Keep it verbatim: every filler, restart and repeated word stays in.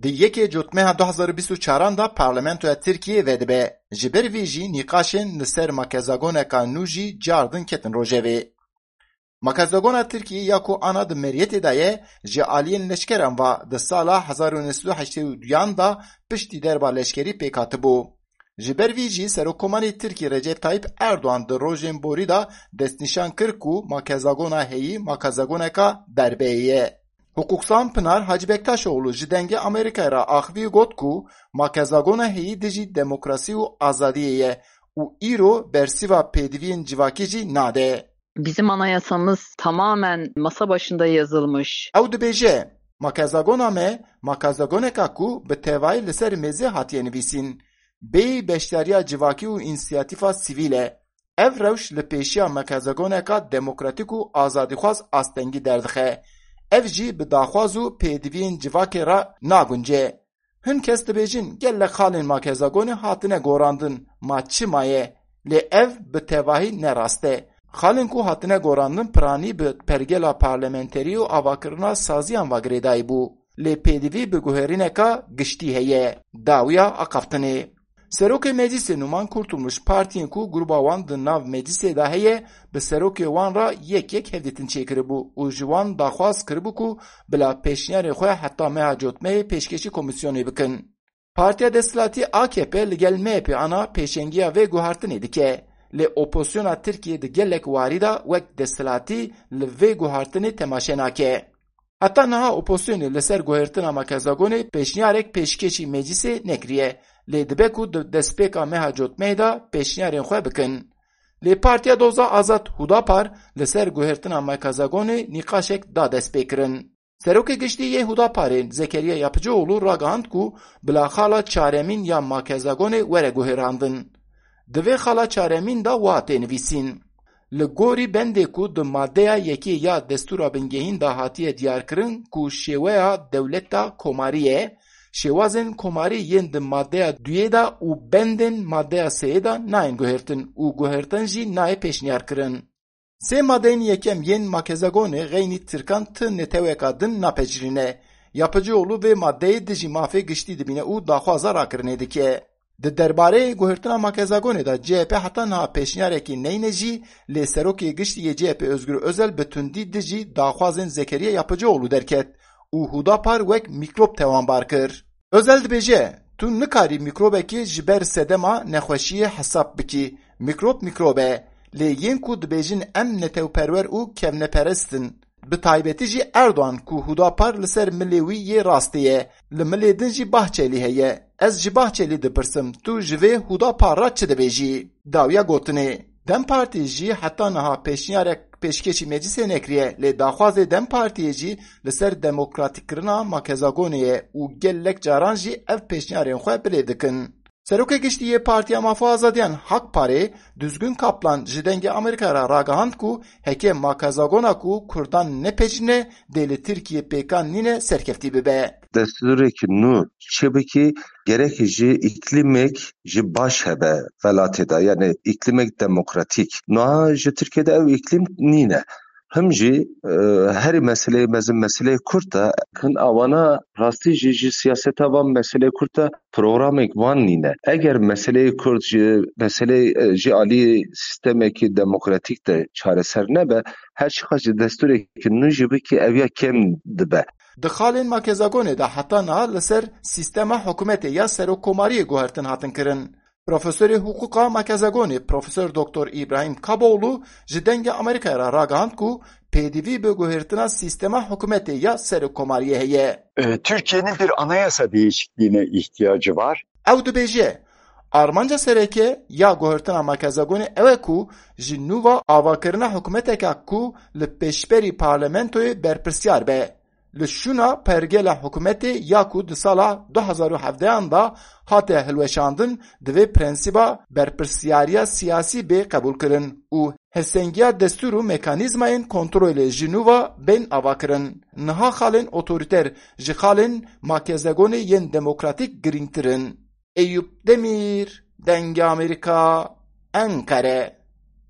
Di yekê Cotmeha du hazar û bîst û çaran de Parlamentoya Tirkiyê vedibe. Ji ber vî jî nîqaşên li ser makezagoneka nû jî cardin ketin rojevê. Makezagona Tirkiyê ya ku ana di meriyetê de ye, ji aliyên leşkeran ve di sala hezar û neh sed û heştê û duyan de piştî derba leşkerî pêk hatibû. Ji ber vî jî Serokkomarê Tirkî Recep Tayyip Erdoğan di rojên borî de destnîşan kir ku makezagona heyî makezagoneka derbeyê ye. Hiqûqsan Pinar Hacı Bektaşoğlu ji Dengê Amerîkayê re axivî got ku makezagona heyî dijî demokrasî û azadiyê ye û îro bersiva pêdiviyên civakî jî nade. Bizim anayasamız tamamen masa başında yazılmış. Ew dibêje, makezagona me, makezagoneka ku bi tevayî li ser mêzê hatiye nivîsîn, bêyî beşdariya civakî û însiyatîfa sivîl e. Ev rewş li pêşiya makezagoneka demokratîk û azadîxwaz astengî derdixe. Ev jî bi daxwaz û pêdiviyên civakê re nagunce. Hin kes dibêjin, gelek xalên makezagonê hatine gorandin, ma çima ye? Lê ev bi tevahî ne rast e. Xalên ku hatine gorandin piranî bi pergela parlamenterî û avakirina saziyan ve girêdayî bû. Lê pêdivî bi guherîneka giştî heye. Dawiya axaftinê. Serokê Meclîsê Numan Kurtulmuş partiyên ku gruba wan di nav meclîsê de heye, bi serokê wan re yek yek hevdîtin çêkiribû û ji wan daxwaz kiribû ku bila pêşniyarên xwe heta meha Cotmehê pêşkêşî komîsyonê bikin. Partiya desthilatî A K P li gel M H P ana pêşengiya vê guhertinê dike, lê opozisyona Tirkiyê di gelek warî de wek desthilatî li vê guhertinê temaşe nake. Heta niha opozisyonê li ser guhertina makezagonê pêşniyarek pêşkêşî meclîsê nekiriye, lê dibe ku di destpêka meha Cotmehê de pêşniyarên xwe bikin. Lê Partiya Doza Azad Hudapar li ser guhertina makezagonê nîqaşek da destpêkirin. Serokê Giştî yê Hudaparê Zekeriya Yapıcıoğlu ragihand ku bila xala çaremîn ya makezagonê were guherandin. Di vê xala çaremîn de wa tê nivîsîn. Li gorî bendê ku di maddeya yekê ya Destûra Bingehîn de hatiye diyarkirin ku şêweya dewleta komarî ye, şêwazên komarî yên di maddeya duyê de û bendên maddeya sêyê de nayên guhertin û guhertin jî nayê pêşniyarkirin. Sê madeyên yekem yên makezagonê xeynî tirkan ti neteweka din napecirîne. Yapıcıoğlu vê madeyê dijî mafê giştî dibîne û daxwaza rakirinê dike. Di derbarê guhertina makezagonê de C H P heta niha pêşniyarekî neyne jî, lê serokê giştî yê C H P Özgür Özel bi tundî dijî daxwazên Zekeriya Yapıcıoğlu derket û Hudapar wek mîkrop tewanbar kir. Özel dibêje, tu nikarî mîkrobekê ji ber sedema nexweşiyê hesab bikî. Mîkrob mîkrob e. Lê yên ku dibêjin em netewperwer û kevneperest in. Bi taybetî jî Erdogan ku Hudapar li ser milê wî yê rastê ye. Li milê din jî Bahçelî heye. Ez ji Bahçelî dipirsim, tu ji vê Hudapar re çi dibêjî? Dawiya gotinê. DEM Partî jî heta niha pêşniyarek pêşkêşî meclisê nekiriye, lê daxwazê DEM Partiyê jî li ser demokratîkkirina makezagonê ye û gelek caran jî ev pêşniyarên xwe bilêv dikin. Serokê Giştî yê Partiya Maf û Azadiyan Hak Parê Düzgün Kaplan ji Dengê Amerîka re ragihand ku heke makezagona ku Kurdan nepejine dê li Tirkiyê pêkan nîne serkeftî bibe. Destûrekî nû çêbikî gerek ji îklîmek ji baş hebe welatê de, yani îklîmek demokratîk. Niha ji Tirkiyê de ew îklîm nîne. Him jî, e, herî meseleyê mezin meseleyê Kurd e. Hin awana rastî jî ji siyaseta van meseleyê Kurd de programek van nîne. Eger meseleyê Kurd ji meseleyê, e, ji alî sîstemekî demokratîk de çareser nebe, her çiqas ji destûrekî nû jî bikî ew ya kêm dibe. Di xalên makezagonê de heta niha li ser sîstema hikûmetê ya serokkomariyê guhertin hatin kirin. Profesorê hiqûqa makezagonê Profesor Doktor Îbrahîm Kaboğlu ji Dengê Amerîkayê re ragihand ku pêdivî bi guhertina sîstema hikûmetê ya serokkomariyê heye. E, Türkiye'nin bir anayasa değişikliğine ihtiyacı var. Ew dibêje, armanca sereke ya guhertina makezagonê ew e ku ji nû ve avakirina hikûmeteke ku li pêşberî parlamentoyê berpirsyar be. Li şûna pergela hikûmetê ya ku di sala du hazar û hevdehan de hate hilweşandin, divê prensîba berpirsyariya siyasî bê qebûlkirin û hevsengiya destûr û mekanîzmayên kontrolê ji nû ve bên avakirin. Niha xalên otorîter ji xalên makezagonê yên demokratîk girîngtir in. Eyûp Demîr, Dengê Amerîka, Enqere.